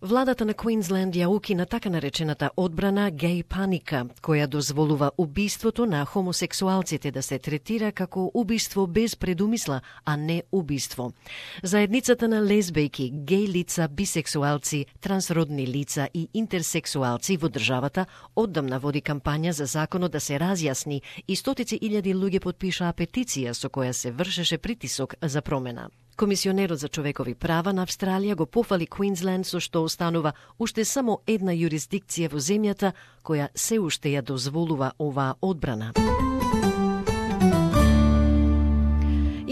Владата на Квинсленд ја укина така наречената одбрана геј паника, која дозволува убиството на хомосексуалците да се третира како убиство без предумисла, а не убиство. Заедницата на лесбејки, геј лица, бисексуалци, трансродни лица и интерсексуалци во државата оддамна води кампања за законот да се разјасни и стотици илјади луѓе потпишаа петиција со која се вршеше притисок за промена. Комисионерот за човекови права на Австралија го пофали Квинсленд со што останува уште само една јурисдикција во земјата која се уште ја дозволува оваа одбрана.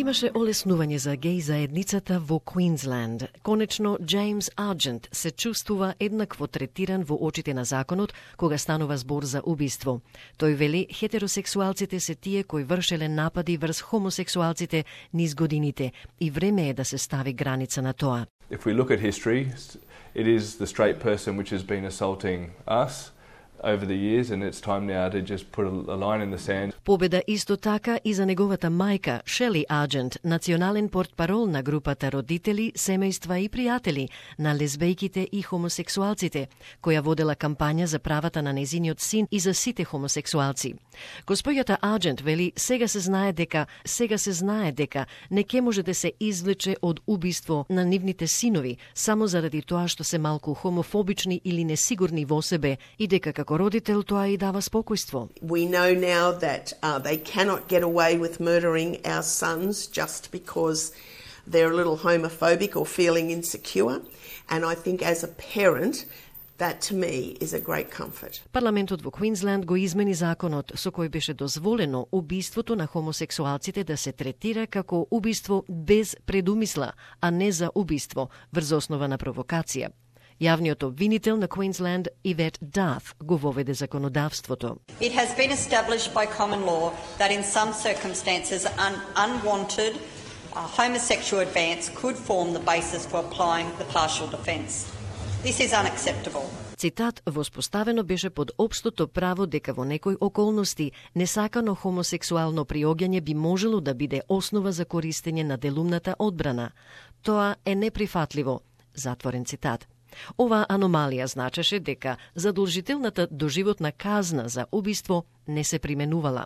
Имаше олеснување за геј заедницата во Квинсленд. Конечно, Джеймс Арджент се чувствува еднакво третиран во очите на законот кога станува збор за убиство. Тој вели хетеросексуалците се тие кои вршеле напади врз хомосексуалците низ годините и време е да се стави граница на тоа. If we look at history, it is the straight person which has been assaulting us over the years, and it's time now to just put a line in the sand. Победа исто така и за неговата мајка, Шели Арджент, национален портпарол на групата родители, семејства и пријатели на лесбејките и хомосексуалците, која водела кампања за правата на незиниот син и за сите хомосексуалци. Госпоѓата Арджент вели сега се знае дека не ке може да се извлече од убиство на нивните синови само заради тоа што се малку хомофобични или несигурни во себе и дека како родител тоа и дава спокојство. We know now that they cannot get away with murdering our sons just because they're a little homophobic or feeling insecure. And I think as a parent, that to me is a great comfort. Парламентот во Квинсленд го измени законот со кој беше дозволено убиството на хомосексуалците да се третира како убиство без предумисла, а не за убиство врз основа на провокација. Јавниот обвинител на Квинсленд, Ивет Даф, го воведе законодавството. It has been established by common law that in some circumstances an unwanted homosexual advance could form the basis for applying the partial defence. This is unacceptable. Цитат, воспоставено беше под општото право дека во некои околности несакано хомосексуално приоѓање би можело да биде основа за користење на делумната одбрана. Тоа е неприфатливо. Затворен цитат. Оваа аномалија значеше дека задолжителната доживотна казна за убиство не се применувала.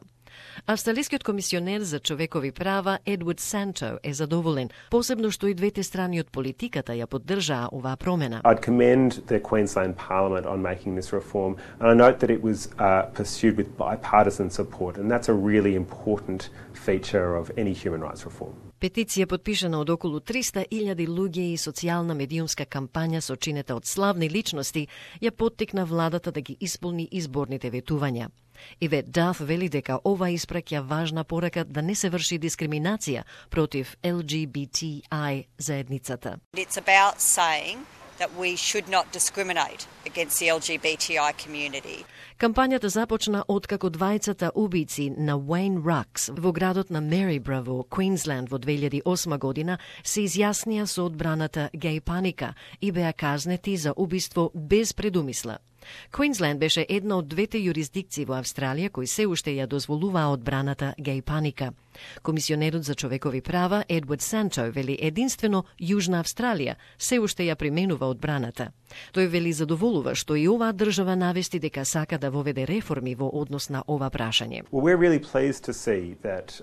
Австралискиот комисионер за човекови права Едвард Санто е задоволен, посебно што и двете страни од политиката ја поддржаа оваа промена. I'd commend the Queensland Parliament on making this reform, and I note that it was pursued with bipartisan support, and that's a really important feature of any human rights reform. Петиција подпишана од околу 300.000 луѓе и социјална медиумска кампања сочинета од славни личности ја поттикна владата да ги исполни изборните ветувања. Ивет Даф вели дека ова испраќа важна порака да не се врши дискриминација против LGBTI заедницата. It's about saying that we should not discriminate against the LGBTI community. Кампањата започна откако двајцата убици на Уейн Ракс во градот на Мерибра во Квинсленд во 2008 година се изјаснија со одбраната геј паника и беа казнети за убиство без предумисла. Квинсленд беше една од двете јурисдикции во Австралија кои се уште ја дозволуваа одбраната геј паника. Комисионерот за човекови права Едвард Санто вели единствено Јужна Австралија се уште ја применува одбраната. Тој вели задоволува што и оваа држава навести дека сака да воведе реформи во однос на ова прашање. Well, we're really pleased to see that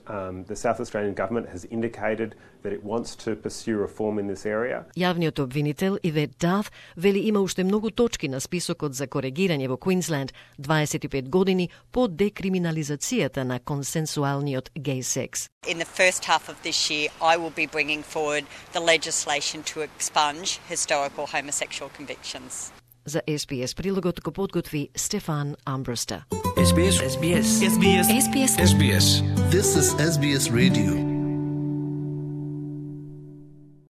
the South Australian government has indicated that it wants to pursue reform in this area. Јавниот обвинител Ивет Даф вели има уште многу точки на списокот за коригирање во Квинсленд 25 години по декриминализацијата на консенсуалниот геј секс. In the first half of this year, I will be bringing forward the legislation to expunge historical homosexual convictions. За SBS прилогот го подготви Стефан Амброста. SBS. This is SBS Radio.